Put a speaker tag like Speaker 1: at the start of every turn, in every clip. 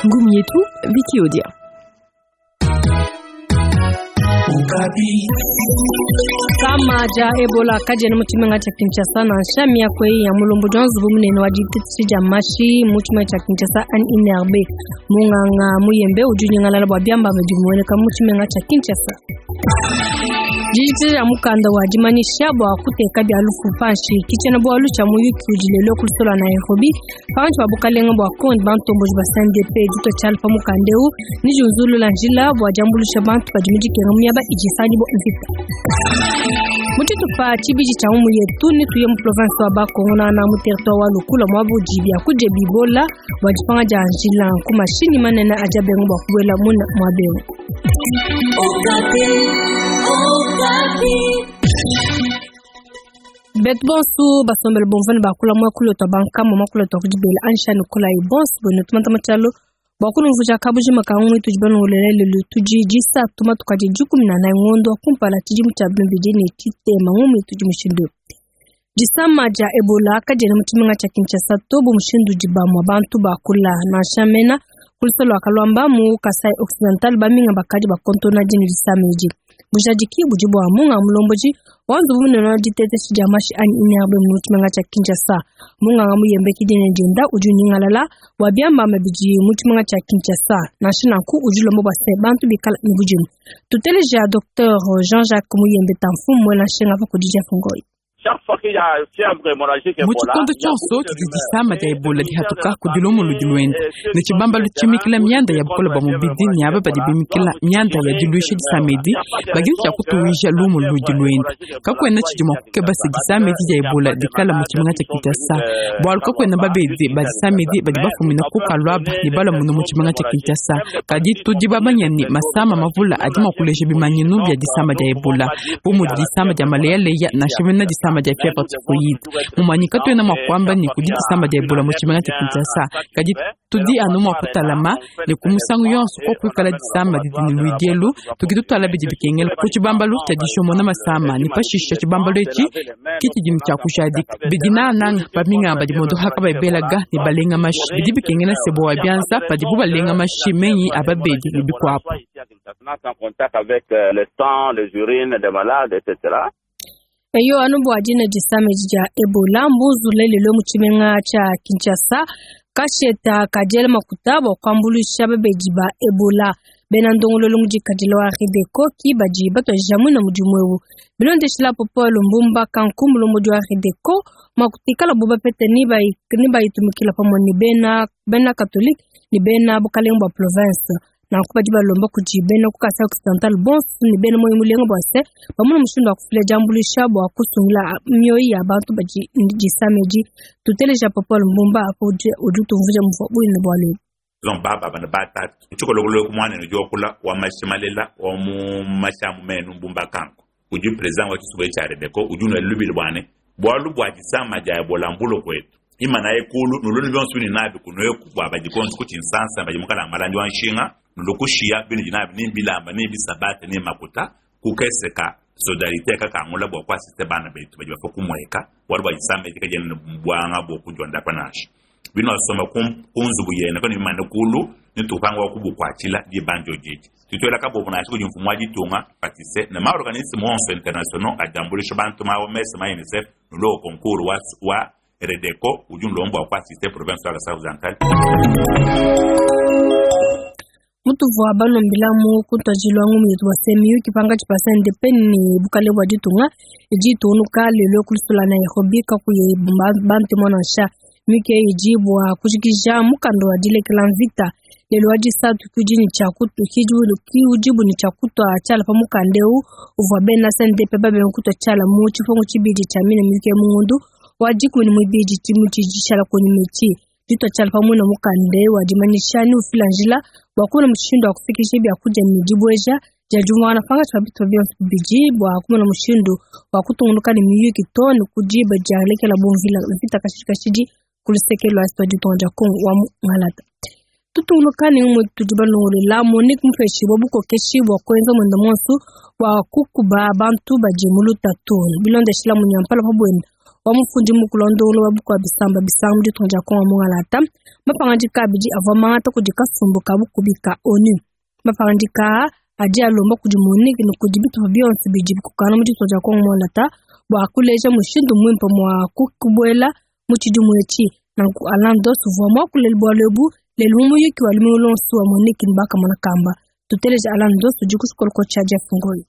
Speaker 1: Ngumu yetu Viki Odia.
Speaker 2: Disama dia Ebola kadiena mu tshimenga tshia Kinshasa nansha. Miaku eyi ya mulombodi wa nzubu munene wa ditetshisha dia mashi mu tshimenga tshia Kinshasa anyi INRB, Munganga Muyembe udi unyingalala bua biambamba bidi bimueneka mu tshimenga tshia Kinshasa. Dijikija dia mukanda wa dimanyisha bua kuteka bia lufu panshi ke tshiena-bualu tshia muyuki udi lelu ku luseke lua Nairobi pankatshi pa bukalenge bua Congo ne bantomboji ba CNDP. Ditua tshiala pa mukanda eu ne diunzulula njila bua diambuluisha bantu badi mu dikenga mu miaba idi isangibua mvita. Mu tshitupa tshibidi tshia ngumu yetu netuye mu province wa Bas-Congo nana mu territoire wa Lukula muaba udi biakudia bibola bua dipanga dia njila ku mashinyi manene adi abenga bua kubuela muna muaba eu. Betu bonsu basombele bumvua ne bakula muakulu wetu wa bankambua, muakulu wetu wa ku dibela anyi ne kolayi bonsu buenu tumanta mu tshialu bua kunumvuija kabujima ka ngumu itudi balongolole lelu. Tudi disatu matuku adi 14 ngondo wa kumpala tshidimu tshia 2030. Ngumu itudi mushindu eu. Disama dia Ebola kadiena mu tshimenga tshia Kinshasa to bu mushindu udi bamue bantu bakula. Nansha mena ku luse lua Kaluamba mu Kasai Occidental baminga bakadi bakontona dine disama edi. Bujadiki budi bua munga mulombodi wa nzubu munene wa diteteshi dia mashi anyi INRB mu tshimenga tshia Kinshasa. Munganga Muyembe ki dina dienda udi unyingalala bua biambamba bidi mu tshimenga tshia Kinshasa. Nansha nanku udi ulomba bua se bantu bikala ne budimu. Tuteleja Docteur Jean-Jacques Muyembe Tamfu muela nshinga pa kudi Jeff Ngoyi.
Speaker 3: Mu tshikondo tshionso tshidi disama dia Ebola dihatuka, kudi lumu ludi luenda ne tshibambalu tshimikila mianda ya bukole bua mubidi ne aba badi bimikila mianda ya diluisha disama edi badi ne tshia kutuwija lumu ludi luenda. Kakuena tshidi mua kukeba se disama edi dia Ebola dikala mu tshimenga tshia Kinshasa, bualu kakuena babedi ba disama edi badi bafumina ku Kaluaba ne balua munu mu tshimenga tshia Kinshasa. Kadi tudi bamanye ne, masama mavule adi mua kuleja bimanyinu bia disama dia Ebola, bu mudi disama dia maleyaleya nansha mene disama dia fievre typhoïde. Mumanyi katuena mua kuamba ne kudi disama dia Ebola mu tshimenga tshia Kinshasa, kadi tudi anu mua kutalama ne ku musangu yonso ko kuikala disama didi ne luidi elu, tudi tutuala bidi bikengela ku tshibambalu tshia dishomona masama ne pashishe tshibambalu etshi ke tshidi ne tshia kujadika bidi nangananga baminganga badi mondoha kabayi belaga ne balenga mashi. Bidi bikengela se bowa bianza padibu balenga mashi menyi a babedi ne bikuabu.
Speaker 2: Eyo, anu bua dina disama edi dia Ebola, mbunzulule lelu mu tshimenga tshia Kinshasa kasheta ka diela makuta bua kuambuluisha babedi ba Ebola. Bena ndongoluelu mudikadile wa Redeco ki badi batuadija muine mudimu eu. Bilondeshile apo Paul Mbumba Kanku, mulombodi wa Redeco, makuta ikalabu bapete nebayitumikila pamue ne bena bena Katolike ne bena bukalenge bua province. Nanku badi balomba kudi bena ku Kasai Occidental bonso ne bena muoyo mulenga bua se, bamone mushindu wa kufila diambuluisha bua kusungila mioyo ya bantu badi ne disama edi. Tuteleja Paul Mbumba apa udi utumvuija muvua buine bualu ebu.
Speaker 4: Baba bana batatu tshikolokolo ku muanenu diokula wa mashimalela wa mu mashamu menu Mbumba Kanku udi president wa tshisumbu tshia Redeco udi unua lubili bua ne bualu bua disama dia Ebola mbulo kuetu imanaye kulu nulunu bionso bini nabi kunueku bua badi konso ku tshinsansa badi mukala malandi wa nshinga nulukushiya binu nabi ni bilamba ni bisabate ni makuta kukeseka solidarite kakangula bua kuasiste bana betu badi bafa kumueka bualu bua disama edi kadiena buanga bua kudiondapa nansha binu asoma ku nzubu yene kanu bimane kulu nitupanga wa kubukuatshila dibanjo didi tutuela kabobo nansha kudi mfumu wa ditunga patise ne maorganisme onso internationaux adiambulisha bantu ma OMS ma UNICEF nulo concours wa, wa Redeco udi nlombo wa kuasiste province wa Kasai Occidental.
Speaker 2: Mutuvua balombilamu ku ntuadijilu wa ngumu yetu bua se miyuki pankatshi pa CNDP ne bukalenge bua ditunga idi itungunuka lelu ku luseke lua Nairobi kakuyi bantemu nansha. Miyuki eyi idi bua kujikija mukanda wa dilekela mvita. Lelu wa disatu ki udibu ne tshia kutua tshiala pa mukanda eu uvua bena CNDP babenga kutua tshiala mu tshipungu tshibidi tshia mine miyuki eyi mu ngondo wa 12 tshidimu tshidi tshishala kunyima etshi. Ditua tshiala pamue ne mukanda wa dimanyisha ne ufila njila bua kumona mushindu wa kufikisha biakudia ne dibueja dia diumvuangana pankatshi pa bitupa bionso bibidi bua kumona mushindu wa kutungunuka ne miyuki too ne ku diba dialekelabu mvita kashidi kashidi ku luseke lua est wa ditunga dia Congo wa mu Ngalata. Tutungunuka ne ngumu tudi balongolola Monique mupeshibua bukokeshi bua kuenza muende muonso bua kukuba bantu badi mu lutatu bilondeshila munyampala pa buenda. wa mufundi mukulu wa ndongoluelu wa bukua bisamba bisanga mu ditunga dia Congo Mungalata. Mapangadika abidi avua mangata kudi kasumbu ka bukubi ka ONU. Mapangadika aa adi alomba kudi MONUC ne kudi bitupa bionso bidi bikokangana mu ditunga dia Congo Mungalata bua kuleja mushindu muimpe mua kubuela mu tshidimu etshi. Nanku Alain Doss uvua muakule bualu ebu lelu mu muyuki wa lumingu luonso wa MONUC ne bakamona kamba. Tuteleje Alain Doss udi ku tshikoloko tshia Jeff Ngoyi.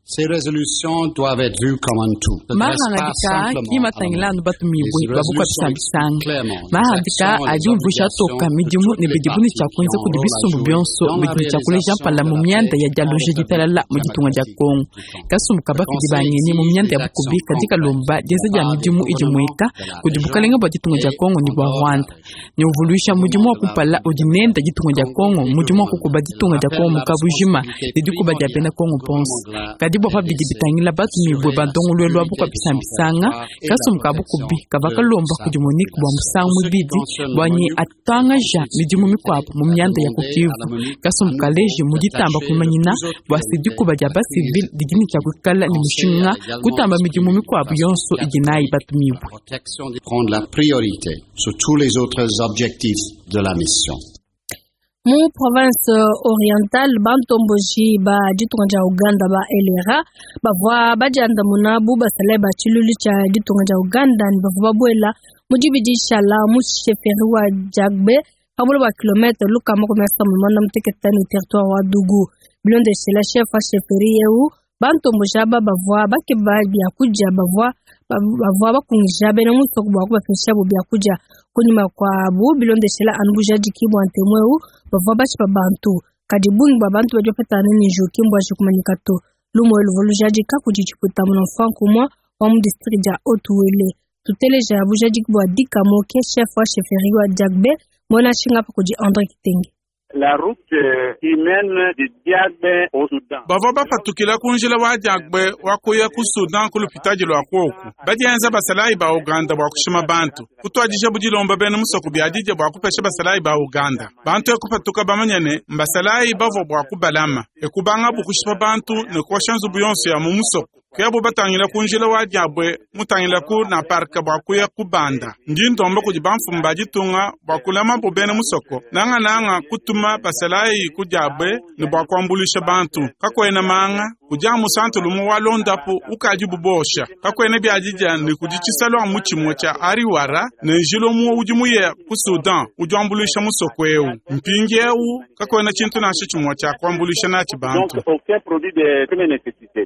Speaker 5: Ces résolutions doivent être vues comme un tout.
Speaker 3: Mahangadika ki matangila anu batumibue ba bukua bisambisanga. Mahangadika adi umvuija toka midimu ne bidibu ne tshia kuenza kudi bisumbu bionso bidi ne tshia kuleja mpala mu mianda ya dialuja ditalala mu ditunga dia Congo. Kasumbu ka bafidi ba ngenyi mu mianda ya bukubi kadi kalomba dienza dia midimu idi mueka kudi bukalenga bua ditunga dia Congo ne bua Rwanda ne uvuluisha mudimu wa kumpala udi nenda ditunga dia Congo, mudimu wa kukuba ditunga dia Congo mu kabujima ne dikuba dia bena Congo bonso. Kadi bua pa bidi bitangila batumibue ba ndongoluelu wa bukua bisambisanga, kasumbu ka bukubi kavua kalomba kudi MONUC bua musangu muibidi bua ne atuangaja midimu mikuabu mu mianda ya ku Kivu. Kasumbu kaleje mu ditamba kuimanyina bua se dikuba dia basivile didi ne tshia kuikala ne mushinga kutamba midimu mikuabu yonso idi nayi batumibue.
Speaker 5: Protection de prendre la priorité sur tous les autres objectifs de la mission.
Speaker 2: Mu province orientale, bantomboji ba ditunga dia Uganda ba LRA bavua badiandamuna bu basalayi ba tshiluilu tshia ditunga dia Uganda ne bavua babuela mu dibidi dishala mu chefferie wa Djagbe pa buloba bua kilometre 376 ne territoire wa Dugu. Bilondeshela chef wa chefferie eu, bantomboji aba bavua bakeba biakudia bavua bavua bakungija bena musoko bua kubapeshabu biakudia kunyima kuabu bilondeshela anu bujadiki bua ntemu eu bavua bashipa bantu. Kadi bungi bua bantu badi bapetangana ne njiwu ki mbuaji kumanyika to. Lumu elu luvua lujadika kudi tshipuita munamfuanka umue wa mu district dia Haut-Uele. Tuteleja bujadiki bua Dikamo ke chef wa chefferie wa Djagbe muena nshinga apa kudi Andre Kitenge.
Speaker 6: La route qui mène de Djagbe au Soudan.
Speaker 7: Bavua bapatukila ku njila wa Djagbe wa kuya ku Sudan ku lupitadi lua kuoku. Badienza basalayi ba Uganda bua kushima bantu. Kutuadija budilomba bena musoko biadija bua kupesha basalayi ba Uganda. Bantu ekupatuka bamanya ne mbasalayi bavua bua kubalama. Ekubanga bukushipa bantu ne kuosha nzubu yonso ya mu musoko. Kuyabo batangila ku njila wa Djagbe mutangila ku na parka bua kuya kubanda. Ndi ndomba kudi bamfumu ba ditunga bua kulama bo bena musoko. Nanga nanga kutuma basalayi ku Djagbe ne bua kuambuluisha bantu. Kakuena manga kudi amu santo lumu wa londapu ukadi bubosha. Kakuena biadija ne kudi tshisalu amu tshimue tshia Ariwara ne njila umue udi muye ku Sudan udi wambuluisha musoko eu. Mpindiewu kakuena tshintu nansha tshimue tshia kuambuluisha natshi bantu.
Speaker 6: Donc aucun produit de première nécessité.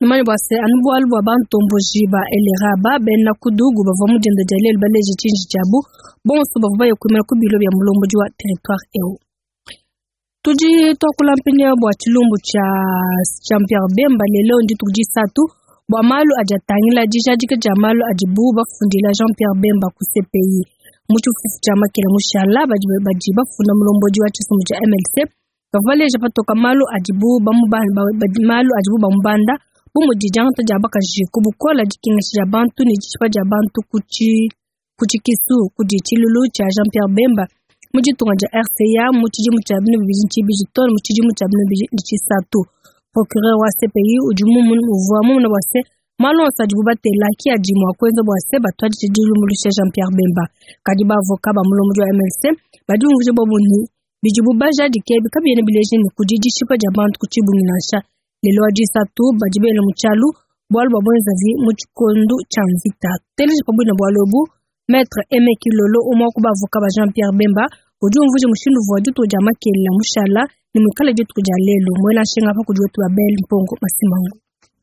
Speaker 2: Numanye bua se anu bualu bua bantomboji ba LRA ba bena ku Dugu bavua mu dienda dia lelu baleje tshinji tshiabu bonso bavua baye kuimana ku bilo bia mulombodi wa territoire eu. Tudi tuakula mpindieu bua tshilumbu tshia Jean-Pierre Bemba lelo ndituku disatu bua malu adi atangila dijadika dia malu adibu bafundila Jean-Pierre Bemba ku CPI. Mu tshifufu tshia Makela mushala badi badi bafunda mulombodi wa tshisumbu tshia MLC bavua baleja patoka malu adibu bamubanda malu adibu bamubanda bu mudi diangata dia bakaji ku bukola dikengesha dia bantu ne dishipa dia bantu ku tshikisu kudi tshilulu tshia Jean-Pierre Bemba mu ditunga dia RCA mu tshidimu tshia 2022 too mu tshidimu tshia 2023. Procureur wa CPI udi uvua mumune bua se malu onso adibu batela ki adi mua kuenza bua se batuadije dilumbuluisha Jean-Pierre Bemba. Kadi bavoka ba mulombodi wa MLC badi bumvuija bobu ne bidibu bajadike ebi kabiena bileja ne kudi dishipa dia bantu ku tshibungi nansha. Lelo wa disatu badi bela mu tshialu bualu bua buenzavi mu tshikondo tshia mvita. Teleja pabuina bualu ebu Maître Aimé Kilolo umwe wa ku bavoka ba Jean-Pierre Bemba udi umvuija mushindu uvua dituku dia Makelela mushala ne muikale dituku dia lelu. Muena nshinga apa kudi wetu Abel Mpongo Masimango.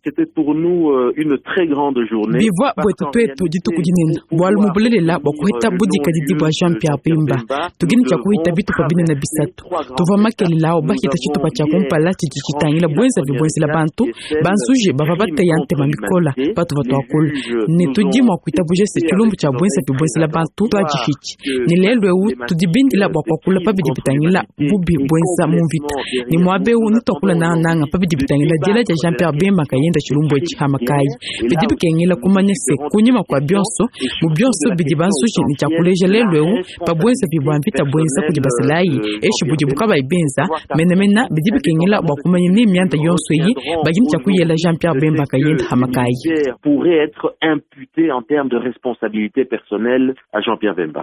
Speaker 8: C'était pour nous une très grande journée.
Speaker 3: Bivua buetu tuetu dituku dinene bualu mu bulelela bua kuheta budikadidi bua Jean-Pierre Bemba tudi ne tshia kuhita bitupa binene bisatu. Tuvua makelela awu bahita tshitupa tshia kumpala tshidi tshitangila buenzavi buenzela bantu banzuje bavua bateya ntema mikola patuvua tuakula ne tudi mua kuitabuja se tshilumbu tshia buenzavi buenzela bantu tuadihitshi ne lelu eu tudi bindila bua kuakula pa bidi bitangila bubi buenza mu mvita ne muaba eu netuakula nangananga pa bidi bitangila diela dia Jean-Pierre Bemba nkayende. henda tshilumbu etshi hamakayi. Bidi bikengela kumanya se kunyima kua bionso, mu bionso bidi banzuji ne tshia kuleja lelu eu pa buenzavi bua mvita buenza kudi basalayi eshi budibu kabayi benza menemene, bidi bikengela bua kumanya ne mianda yonso eyi badi ne tshia kuyela Jean-Pierre Bemba nkayende hamakayi.
Speaker 8: Pourrait être imputé en termes de responsabilité personnelle à Jean-Pierre Bemba.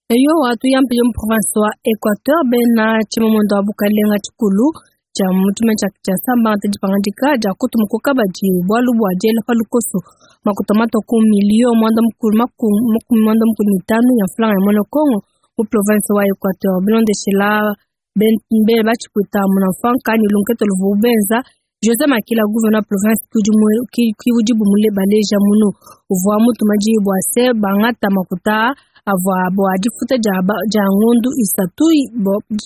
Speaker 2: Eyowa, tuyampi mu province wa Equateur, bena tshimamuenda wa bukalenga tshikulu tshia mu tshimenga tshia Kinshasa mbangate dipangadika dia kutuma ku kabadi bualu bua diela pa lukoso makuta matua ku miliyo muanda mukulu makumi muanda mukulu ne itanu ya mfranga ya muena Congo mu province wa Equateur. Bilondeshela bena batshipwita munamfanka ne lunkete luvubu benza, Jose Makila, gouverneur province ki udibu baleja munu uvua mutuma diyi bua se bangata makuta avua bua difuta dia ngondu isatu,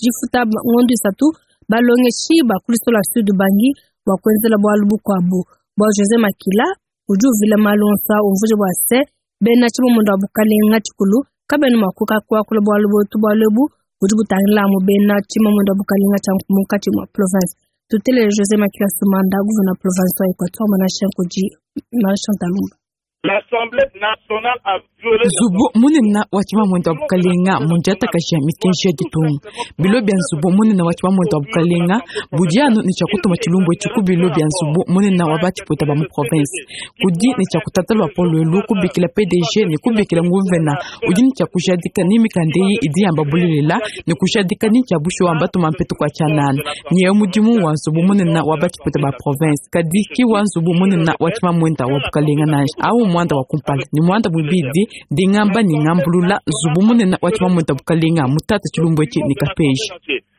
Speaker 2: difuta ngondu isatu balongeshi ba ku Lusola Sud Ubangi bua kuenzela bualu bukuabu. Bua Jose Makila udi uvila malu onso umvuija bua se bena tshimamunda wa bukalenga tshikulu kabena mua kuakula bualu buetu, bualu ebu budi butangila amu bena tshimamunda wa bukalenga tshia munkatshi mua province. Tutelele Jose Makila Sumanda, gouverneur province wa Equateur, Manashe Nkudi, Marie Talumba.
Speaker 6: L'Assemblée nationale a violé
Speaker 3: Nzubu munene wa tshimamuenda wa bukalenga mundiatakaja mikenji ya ditunga. Bilo bia nzubu munene wa tshimamuenda wa bukalenga budi anu ne tshia kutuma tshilumbu etshi ku bilo bia nzubu munene wa batshipwita ba mu province. Kudi ne tshia kutata luapolo elu kubikila PDG ne kubikila nguvena udi ne tshia kujadika ni mikanda eyi idi yamba bulelela ne kujadika ni tshia bushuwa mbatuma mpetu kua tshianana. Nyewe mudimu wa nzubu munene wa batshipwita ba province kadi ki wa nzubu munene wa tshimamuenda wa bukalenga nansha. Awu muanda wa kumpala ni muanda muibidi ndingamba ni ngambulula nzubu munene wa tshimamuenda bukalenga mutata tshilumbu etshi ne kapeji.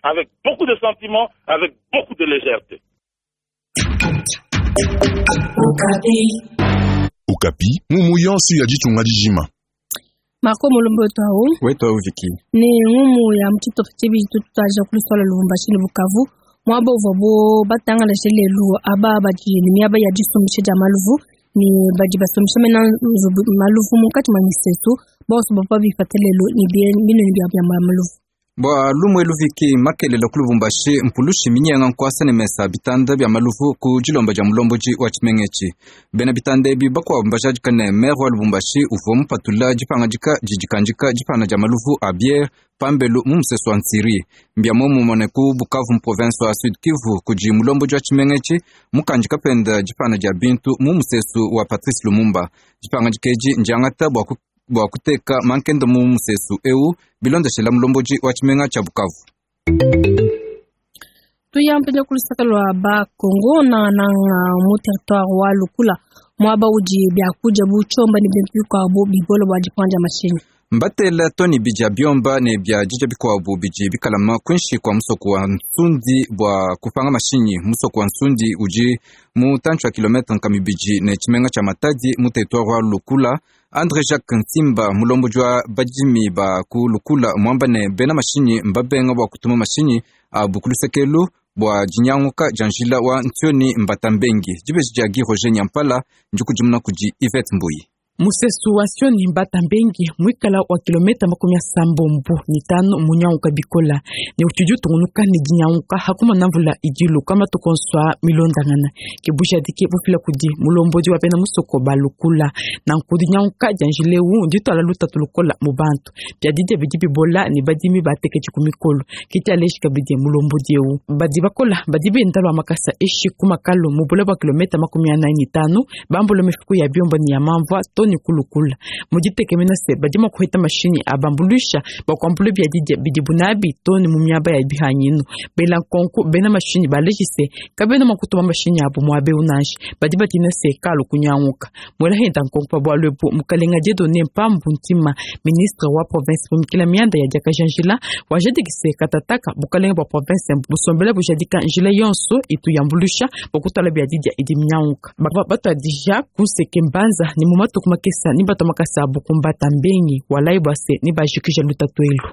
Speaker 6: Avec beaucoup de sentiments, avec beaucoup de légèreté.
Speaker 9: Okapi, ngumu yonso ya ditunga dijima.
Speaker 2: Marco Mulumbu wetu awu.
Speaker 10: Wetu awu Viki.
Speaker 2: Ne ngumu ya mutshitopa tshibidi tututaja kulusola Lubumbashi ne Bukavu. Muaba uvuabu batangalashe lelu aba badi ne miaba ya disumbisha dia maluvu ne badi basumbisha mena maluvu munkatshi mua misesu bonso bavua bipate lelu ne binoni bia maluvu.
Speaker 10: Bua lumue luviki makelela ku Lubumbashi mpulushi minyenga nkuasa ne mesa bitanda bia maluvu ku dilomba dia mulombodi wa tshimenga etshi. Bena bitanda ebi bakuabu mbajadika ne maire wa Lubumbashi uvua mupatula dipangadika didikandika dipana dia maluvu a biere pambelu mu musesu wa Nsiri. Mbia muomumue ne ku Bukavu mu province wa Sud Kivu kudi mulombodi wa tshimenga etshi mukandika penda dipana dia bintu mu musesu wa Patrice Lumumba. Dipangadika edi ndiangata bua kuteka mankenda mu musesu eu bilondeshela mulombodi wa tshimenga tshia Bukavu.
Speaker 2: Tuyampenja kulusaka lua ba Congo na nanga mu territoire wa Lukula muaba udi biakudia bu tshiomba ne bintu bikuabu bibola bua dipanda mashinyi.
Speaker 10: Mbatela toni bija biomba ne bia dija bikuabu bidi bikalama kuinshi kua musoko wa Nsundi bua kupanga mashinyi. Musoko wa Nsundi udi mu tantshi wa kilometre nkama ibidi ne tshimenga tshia Matadi mu territoire wa Lukula. André Jacques Nsimba mulombodi wa badimi ba ku Lukula muamba ne bena mashinyi mbabenga bua kutuma mashinyi abu ku lusekelu bua dinyanguka dia njila wa Ntioni Mbatambengi. Dibeji dia Guy Roger Nyampala ndikudimuna kudi Yvette Mbuyi.
Speaker 3: Musesu wa Ntioni Mbatambengi muikala wa kilomita 35 munyanguka bikola ne utshidi utungunuka ne dinyanguka hakumana mvula idiluka matuku onso a milondangana. Ke bujadiki bufila kudi mulombodi wa bena musoko ba Lukula. Nanku dinyanguka dia njila eu ndituala lutatu lukola mu bantu. Bia didia bidi bibola ne badimi bateketshi ku mikolo. Ke tshialeji kabidi mulombodi eu. Badi bakola badi benda lua makasa eshi ku makalo mu bule bua kilomita 45 bambula mifuku ya biomba ne ya mamvua to ni kulukula. Muditekemena se badi mua kuheta mashinyi abambulusha bakuambula bia didia bidi bunabi to ni mu miaba ya bihanyinu. Bela nkonko bena mashinyi balejise kabena mua kutuma mashinyi abu muabe unanshi badi batina se kalu kunyanguka. Mwela henda nkonko pa bualu ebu mukalenga Dieudonné Mpambu Ntima ministre wa province mumikila mianda ya diakaja njila wajadikise katataka bukalenga bua province busombela bujadika njila yonso itu yambulusha bokutala bia didia idi minyanguka. Batuadija kunseke mbanza ni mu matuku makesa ni bato makasa abu kumbata mbengi walai bwase ni bajikija lutatu elu.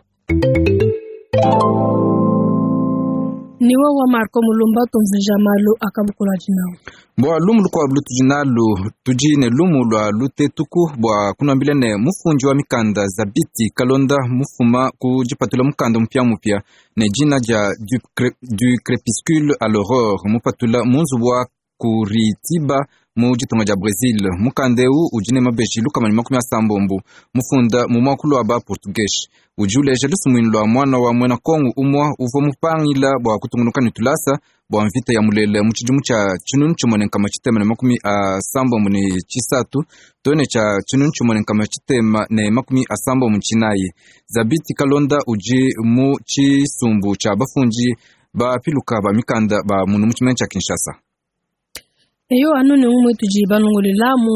Speaker 2: Ni wa Marco Mulumba tumvuja malu akabukula jinawu.
Speaker 10: Bua lumu lukuabu lutudi nalu tudi ne lumu lua lutetuku bua kunambila ne mufundi wa mikanda Zabiti Kalonda mufuma ku dipatula mukanda mupiamupia ne dina dia du crépuscule à l'aurore mupatula mu nzubu wa Curitiba mu ditunga dia Brazil. Mukanda eu udi ne mabeji 180 mufunda mu muakulu wa ba Portuguese. Udi uleja lusumuinu lua muana wa muena Kongo umua uvua mupangila bua kutungunuka ne tulasa bua mvita ya mulele mu tshidimu tshia 1673 to ne tshia 1674. Zabiti Kalonda udi mu tshisumbu tshia bafundi bapiluka ba mikanda ba munu mu tshimenga tshia Kinshasa.
Speaker 2: Eyo anu ne umue tudi balongolela mu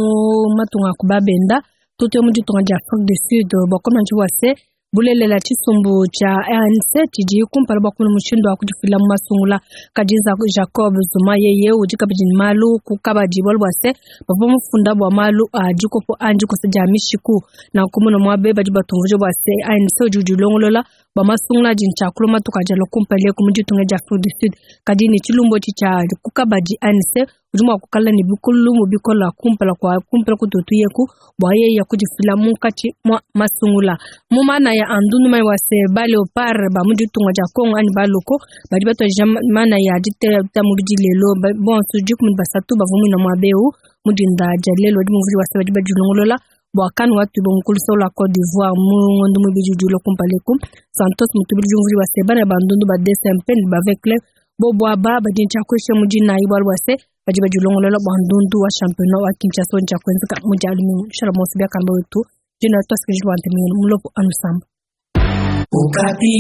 Speaker 2: matunga ku babenda tutuye mu ditunga dia Afrique du Sud bua komona bua se bulelela tshisumbu tshia ANC tshidi kumpala bua kumona mushindu wa kudifila mu masungula. Kadi Jacob Zuma yeye udi kabidi ne malu ku kabadi bualu bua se bavua mufunda bua malu a dikopo anyi dikosa dia mishiku. Nanku muna muabe badi batumvuija bua se ANC udi udilongolola bua masungula adi ntshiakulu matuku adi alua kumpala eku mu ditunga dia Afrique du Sud. Kadi ne tshilumbu etshi tshia ku kabadi ANC udi mua kukala ne bikulumu bikola kumpala kwa kumpala kututu yeku bua yeye kudifila munkatshi mwa masungula. Mu mana ya andundu mai wa se ba leopard ba mu ditunga dia Congo anyi baloko badi batuadija mana ya diteta mubidi lelo bonso 13 bavua muina muaba eu mu dinda dia lelo adi muvudi wa se badi badilongolola bua kanu watu bonkulu la Côte d'Ivoire mu ngondo mubidi udi ulua kumpala eku. Santos mutubidi muvudi wa se bana ba ndundu ba DSMP ne ba Vecleb bobo aba badi ntshiakuesha mu dinayi bualu bua se badi badilongolola bua ndundu wa championnat wa Kinshasa ntshiakuenzeka mu dia lumingu. Shalom biakamba wetu dina twasikiliza bua ntemenu mulopo anusamba. Okapi.